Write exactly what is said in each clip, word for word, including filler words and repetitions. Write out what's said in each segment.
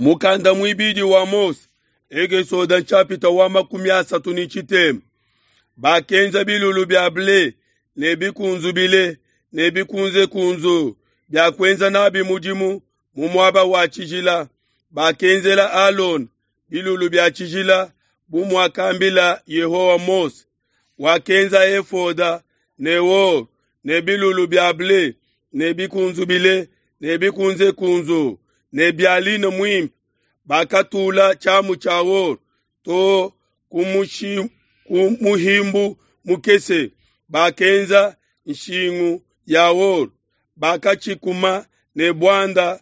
Mukanda muibidi wa Mose, Ekesode nshapita wa makumi asatu ne tshitema. Bakenza bilulu bia ble ne bikunzubile ne bikunzekunzu bia kuenza nabi mudimu mu muaba wa tshijila. Bakenzela Alona bilulu bia tshijila bu muakambila Yehowa Mose. Wakenza efoda ne or ne bilulu bia ble ne bikunzubile ne bikunzekunzu ne bia line muimpe. Bakatula tshiamu tshia or to ku muhimbu mukese. Bakenza nshingu ya or, bakatshikuma ne buanda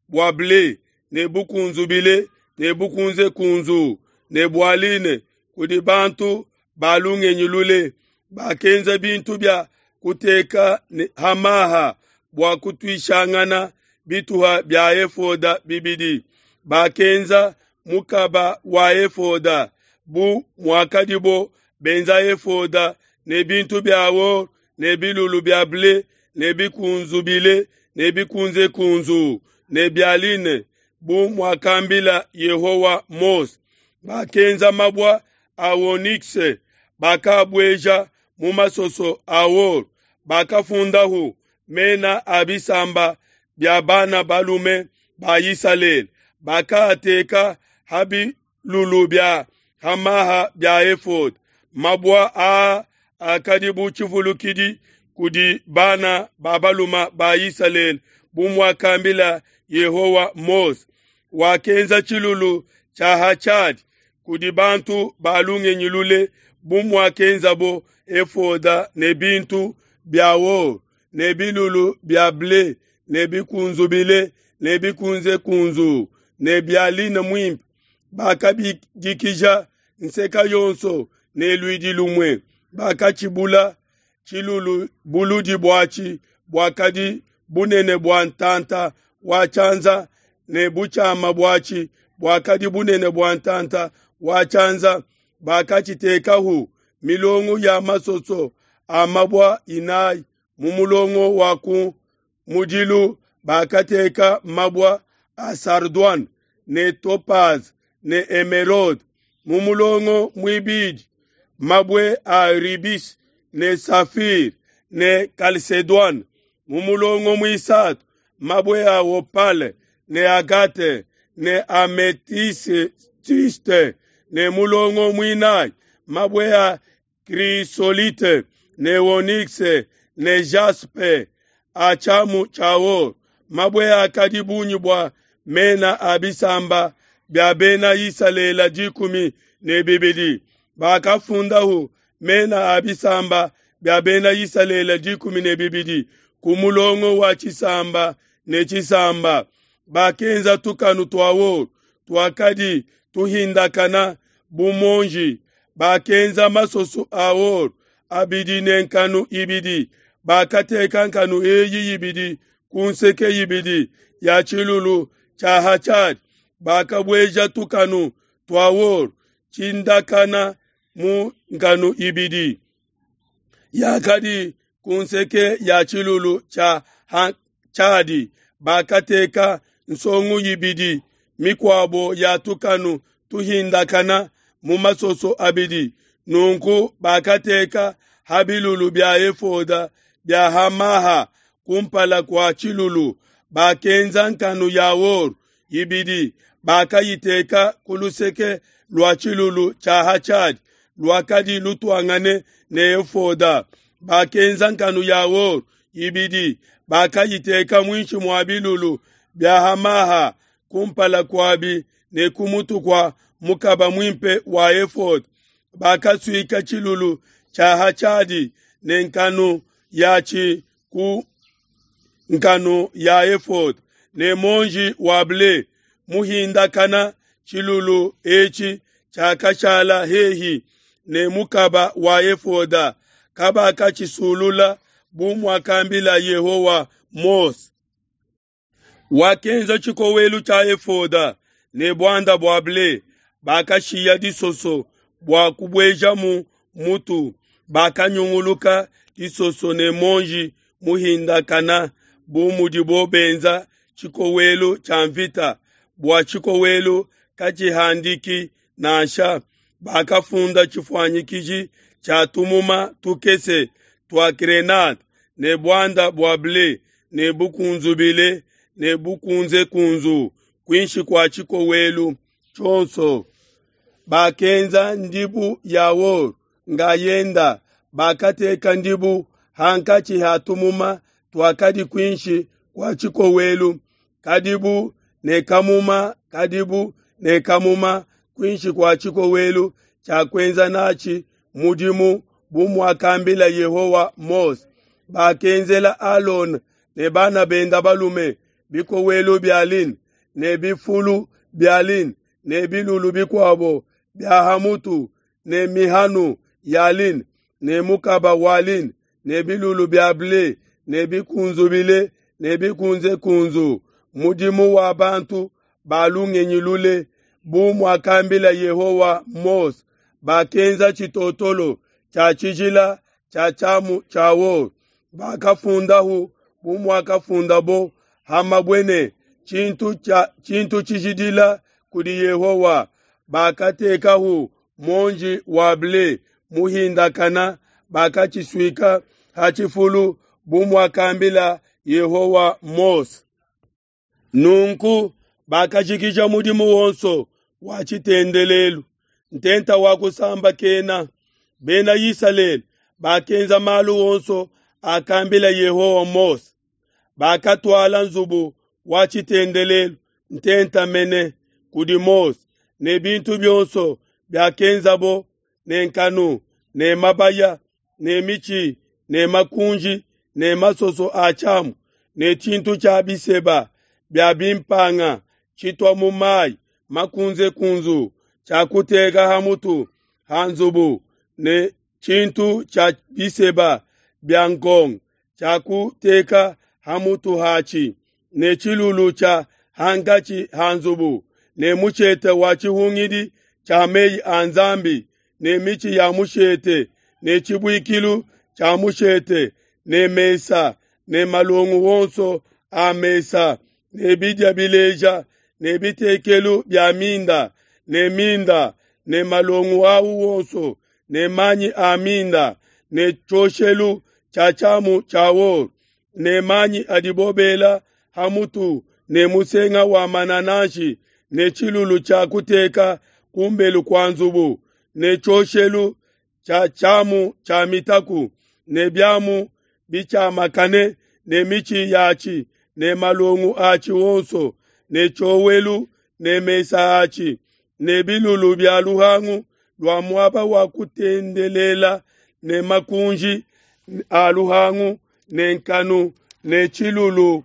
bua ble ne bukunzubile ne bukunzekunzu ne bua line kudi bantu ba lungenyi lule. Bakenza bintu bia kuteka ha maha bua kutuishangana bituha bia efoda bibidi. Bakenza mukaba wa efoda bu muakadibo benza efoda ne bintu bia or ne bilulu bia ble ne bikunzubile ne bikunzekunzu ne bia line bu muakambila Yehowa Mose. Bakenza mabua a onyx, bakabueja mu masoso a or. Bakafundahu mena a bisamba bia bana balume ba Isalele. Bakaateka ha bilulu bia hamaha bia efoda. Mabua aa akadi bu tshivulukidi kudi bana ba balume ba Isalele bu muakambila Yehowa Mose. Wakenza tshilulu tshia ha tshiadi kudi bantu ba lungenyi lule bu muakenzabo efoda ne bintu bia or ne bilulu bia ble ne bikunzubile ne bikunzekunzu ne bia line muimpe. Bakabidikija nseka yonso ne luidi lumue. Bakatshibula tshilulu buludi buatshi buakadi bunene bua ntanta wa tshianza ne butshiama buatshi buakadi bunene bua ntanta wa tshianza. Bakatshitekahu milongo ya masoso a mabua inayi mu mulongo wa ku mudilu. Bakateka mabua a sardoine ne topaz ne emeraude mu mulongo muibidi, mabue a rubis ne safir ne chalcédoine mu mulongo muisatu, mabue a opale ne agate ne amethyste ne mulongo muinayi, mabue a chrysolite ne onyx ne jaspe a tshiamu tshia or. Mabue akadi bungi bua mena a bisamba bia bena Isalele dikumi ne bibidi. Bakafundahu mena a bisamba bia bena Isalele dikumi ne bibidi ku mulongo wa tshisamba ne tshisamba. Bakenza tukanu tua or tuakadi tuhindakana bu monji. Bakenza masoso a or abidi ne nkanu ibidi. Bakateka nkanu eyi ibidi ku nseke ibidi ya tshilulu tshia ha tshiadi. Bakabueja tukanu tua or tshindakana mu nkanu ibidi yakadi ku nseke ya tshilulu tshia ha tshiadi. Bakateka nsongu ibidi mikuabo ya tukanu tuhindakana mu masoso abidi. Nunku bakateka ha bilulu bia efoda bia hamaha kumpala kua tshilulu. Bakenza nkanu ya or ibidi, bakayiteka ku luseke lua tshilulu tshia ha tshiadi luakadi lutuangane ne efoda. Bakenza nkanu ya or ibidi, bakayiteka muinshi mua bilulu bia hamaha kumpala kuabi ne ku mutu kua mukaba muimpe wa efoda. Bakasuika tshilulu tshia ha tshiadi ne nkanu yatshi ku nkanu ya efoda ne monji wa ble muhindakana. Tshilulu etshi tshiakashala hehi ne mukaba wa efoda, kabakatshisulula bu muakambila Yehowa Mose. Wakenza tshikowelu tshia efoda ne buanda bua ble. Bakashiya disoso bua kubuejamu mutu. Bakanyunguluka disoso ne monji muhindakana bu mudibo benza tshikowelu tshia mvita. bua tshikowelu katshihandiki nansha. Bakafunda tshifuanyikiji tshia tumuma tukese tua grenade ne buanda bua ble ne bukunzubile ne bukunzekunzu kuinshi kua tshikowelu tshionso. Bakenza ndibu ya or ngayenda, bakateka ndibu hankatshi ha tumuma tuakadi kuinshi kua tshikowelu, kadibu ne kamuma kadibu ne kamuma kuinshi kua tshikowelu tshia kuenza natshi mudimu bu muakambila Yehowa Mose. Bakenzela Alona ne bana benda balume bikowelu bia lin ne bifulu bia lin ne bilulu bikuabo bia ha mutu ne mihanu ya lin ne mukaba wa lin ne bilulu bia ble ne bikunzubile ne bikunzekunzu, mudimu wa bantu ba lungenyi lule, bu muakambila Yehowa Mose. Bakenza tshitotolo tshia tshijila tshia tshiamu tshia or, bakafundahu bu muakafundabo ha mabue ne, tshintu tshia tshintu tshijidila kudi Yehowa. Bakatekahu muonji wa ble muhindakana, bakatshisuika ha tshifulu bu muakambila Yehowa Mose. Nunku bakajikija mudimu wonso wa tshitendelelu, ntenta wa kusambakena. Bena Isalele bakenza malu onso akambila Yehowa Mose. Bakatuala nzubu wa tshitendelelu, ntenta mene, kudi Mose ne bintu bionso biakenzabo ne nkanu ne mabaya ne mitshi ne makunji ne masoso a tshiamu ne tshintu tshia biseba bia bimpanga tshitua mu mayi makunzekunzu tshia kuteka ha mutu ha nzubu ne tshintu tshia biseba bia nkongo tshia kuteka ha mutu hatshi ne tshilulu tshia hankatshi ha nzubu ne mushete wa tshihungidi tshia meyi a Nzambi ne mitshi ya mushete ne tshibuikilu tshia mushete ne mesa ne malongo wonso a mesa ne bidia bileja ne bitekelu bia minda ne minda ne malongo awu wonso ne manyi a minda ne tshioshelu tshia tshiamu tshia or ne manyi adibo bela ha mutu ne musenga wa manananshi ne tshilulu tshia kuteka kumbelu kua nzubu ne tshioshelu tshia tshiamu tshia mitaku ne biamu bitshiamakane ne mitshi yatshi ne malongo atshi wonso ne tshiowelu ne mesa atshi ne bilulu bia luhangu lua muaba wa kutendelela ne makunji a luhangu ne nkanu ne tshilulu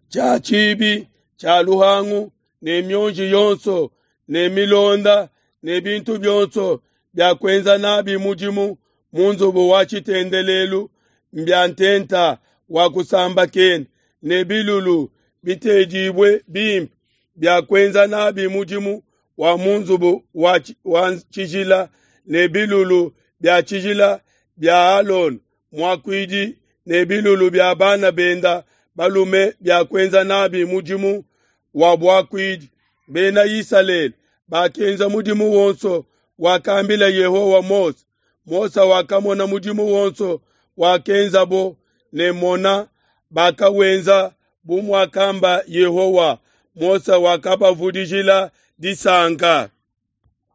tshia tshibi tshia luhangu ne mionji yonso ne milonda ne bintu bionso bia kuenza nabi mudimu mu nzubu wa tshitendelelu mbia ntenta wa kusambakena ne bilulu bitedibue bimpe bia kuenza nabi mudimu wa mu nzubu wa, wa tshijila ne bilulu bia tshijila bia Alona muakuidi ne bilulu bia bana benda balume bia kuenza nabi mudimu wa buakuidi. Bena Isalele bakenza mudimu wonso wakambila Yehowa Mose. Mose wakamona mudimu wonso wakenzabo ne mona bakawenza bu muakamba Yehowa. Mose wakabavudijila disanka.